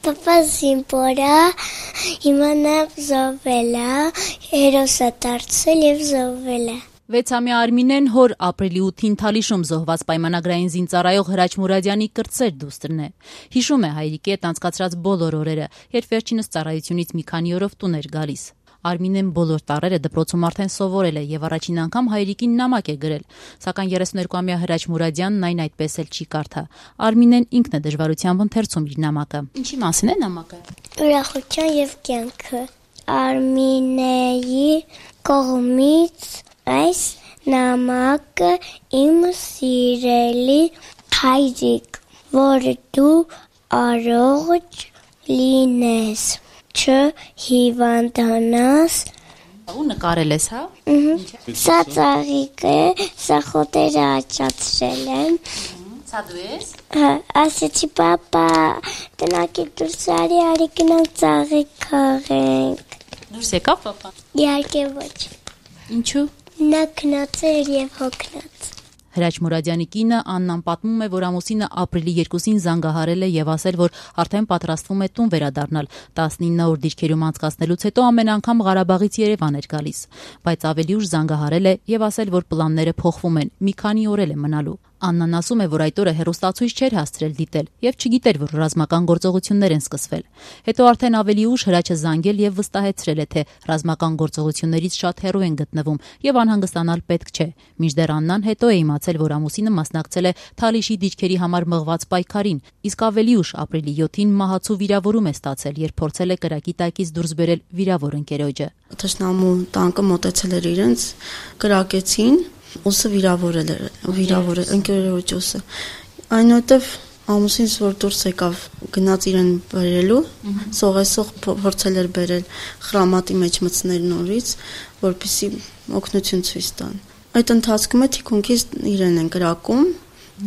Պապա զինվոր է, հիմա նա զոհվել է, հերոս է դարձել և զոհվել է։ 6-ամյա Արմինեն հոր ապրիլի 8-ին Թալիշում զոհված պայմանագրային զինծառայող Հրաչ Մուրադյանի կրտսեր դուստրն է։ Հիշում է հայրիկի հետ անցկացրած բոլոր օրերը, երբ վերջինս ծառայությունից մի քանի օրով տուն էր գալիս։ Արմինեն բոլոր տառերը դպրոցում արդեն սովորել է եւ առաջին անգամ հայրիկին նամակ է գրել, սակայն 32-ամյա Հրաչ Մուրադյանն այն այդպես էլ չի կարդա։ Արմինեն ինքն է դժվարությամբ ընթերցում իր նամակը։ Ինչի մասին է նամակը։ Ուրախության և կյանքը։ Արմինեի կողմից այս նամակը իմ սիրելի հայրիկ, որ դու առողջ լինես, չհիվանդանաս։ Ու նկարել ես, հա։ Սա ծաղիկ է, սա խոտերը աճացրել եմ։ Սա դու ես։ Ասեցի պապա, տնակ է դուրս արի գնանք ծաղիկ քաղենք։ Դուրս եկավ պապան։ Իհարկե ոչ։ Ինչու։ Նա քնած էր և հոգնած։ Հրաչ Մուրադյանի կինը Աննան պատմում է, որ ամուսինը ապրիլի 2-ին զանգահարել է եւ ասել, որ արդեն պատրաստվում է տուն վերադառնալ։ 19 օր դիրքերում անցկացնելուց հետո ամեն անգամ Ղարաբաղից Երևան էր գալիս, բայց ավելի ուշ զանգահարել է եւ ասել, որ պլանները փոխվում են, մի քանի օր էլ է մնալու։ Աննան ասում է, որ այդ օրը հեռուստացույց չէր հասցրել դիտել եւ չգիտեր, որ ռազմական գործողություններ են սկսվել։ Հետո արդեն ավելի ուշ Հրաչը զանգել եւ վստահեցրել է, թե ռազմական գործողություններից շատ հեռու են գտնվում եւ անհանգստանալ պետք չէ։ Մինչդեռ Աննան հետո է իմացել, որ ամուսինը մասնակցել է Թալիշի դիրքերի համար մղված պայքարին, իսկ ավելի ուշ ապրիլի 7-ին մահացու վիրավորում է ստացել, երբ փորձել է կրակի տակից դուրս բերել վիրավոր ընկերոջը։ Թշնամու տանկը մոտեցել էր իրենց, կրակեցին, ուսը վիրավորել էր, ընկերոջ ուսը։ Այնուհետև ամուսինս որ դուրս եկավ, գնաց իրեն բերելու, սողեսող փորձել էր բերել խրամատի մեջ մտցնել նորից, որպեսզի օգնություն ցույց տան։ Այդ ընթացքում է թիկունքից իրեն են կրակում,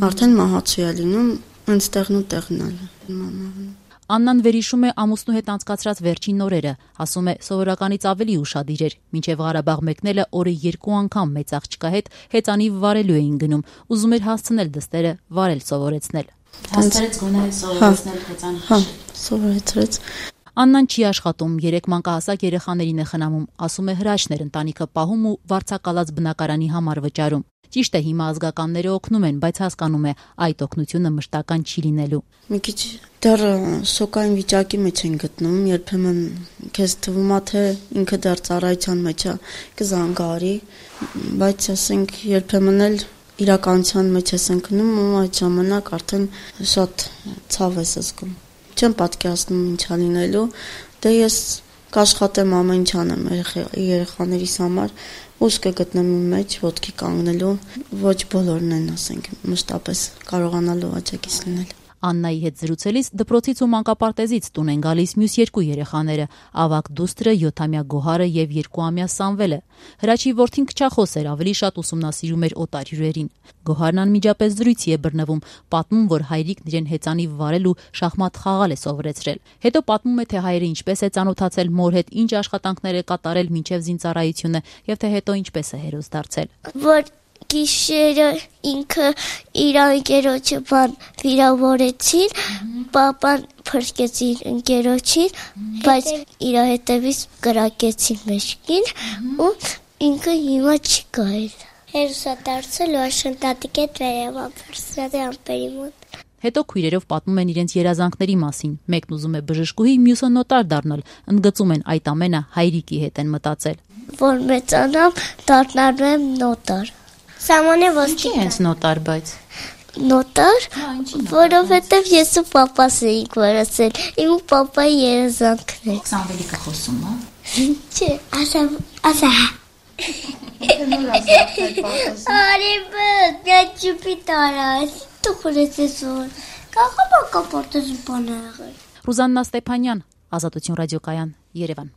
արդեն մահացու է լինում, այնտեղն ու տեղն։ Աննան վերհիշում է ամուսնու հետ անցկացրած վերջին օրերը, ասում է սովորականից ավելի ուշադիր էր, մինչև Ղարաբաղ մեկնելը օրը 2 անգամ մեծ աղջկա հետ հեծանիվ վարելու էին գնում, ուզում էր հասցնել դստերը վարել սովորեցնել։ Հասցրեց գոնե սովորեցնել հեծանիվ։ Հա, սովորեցրեց։ Աննան չի աշխատում, 3 մանկահասակ երեխաներին է խնամում, ասում է Հրաչն էր ընտանիքը պահում ու վարձակալած բնակարանի համար վճարում։ Ճիշտ է, հիմա ազգականները օգնում են, բայց հասկանում է, այդ օգնությունը մշտական չի լինելու։ Մի քիչ դեռ շոկային վիճակի մեջ են գտնում, երբեմն քեզ թվում է, թե ինքը դեռ ծառայության մեջ է, կզանգարի, բայց ասենք երբեմն էլ իրականության մեջ ես ընկնում ու այդ ժամանակ արդեն շատ ցավ ես զգում։ Չեմ պատկերացնում ինչա լինելու, դե ես կաշխատեմ ամեն ինչ անեմ երեխաներիս համար, ուժ կգտնեմ իմ մեջ ոտքի կանգնելու, ոչ բոլորն են, ասենք, մշտապես կարողանալու աջակից լինել։ Աննայի հետ զրուցելիս դպրոցից ու մանկապարտեզից տուն են գալիս մյուս 2 երեխաները՝ ավագ դուստրը 7-ամյա Գոհարը եւ 2-ամյա Սամվելը։ Հրաչի որդին քչախոս էր, ավելի շատ ուսումնասիրում էր օտար հյուրերին։ Գոհարն անմիջապես զրույցի է բռնվում, պատմում, որ հայրիկն իրեն հեծանիվ վարել ու շախմատ խաղալ է սովորեցրել։ Հետո պատմում է, թե հայրը ինչպես է ծանոթացել մոր հետ, ինչ աշխատանքներ է կատարել մինչև զինծառայությունը եւ թե հետո ինչպես է հերոս դարձել։ Որ գիշերը ինքը իր ընկերոջը վիրավորեցին, պապան փրկեց իր ընկերոջին, բայց իր հետևից կրակեցին մեջքին ու ինքը հիմա չի գայել։ Հերոսա դարձել ու աշնտատիկ հետ վերև ամպերսրատի ամպերի մոտ։ Հետո քույրերով պատմում են իրենց երազանքների մասին։ Մեկն ուզում է բժշկուհի, մյուսը նոտար դառնալ։ Ընդգծում են այդ ամենը հայրիկի հետ են մտածել։ Որ մեծանամ, դառնալու եմ նոտար։ Սամանե ոստիկան։ Ինչի հենց նոտար, բայց։ Նոտար, որովհետև ես ու պապաս էինք վարացել, իմ ու պապայի երազանքն է։ Սամվելի կխոսում, հա։ Չէ, ասա։ Արի բդ, նա ճուպիտ արած, դու խորեց ես որ, կաղա բակապորտեզ բան աղել։ Ռուզաննա Ստեփանյան, Ազատություն ռադիոկայան, Երևան։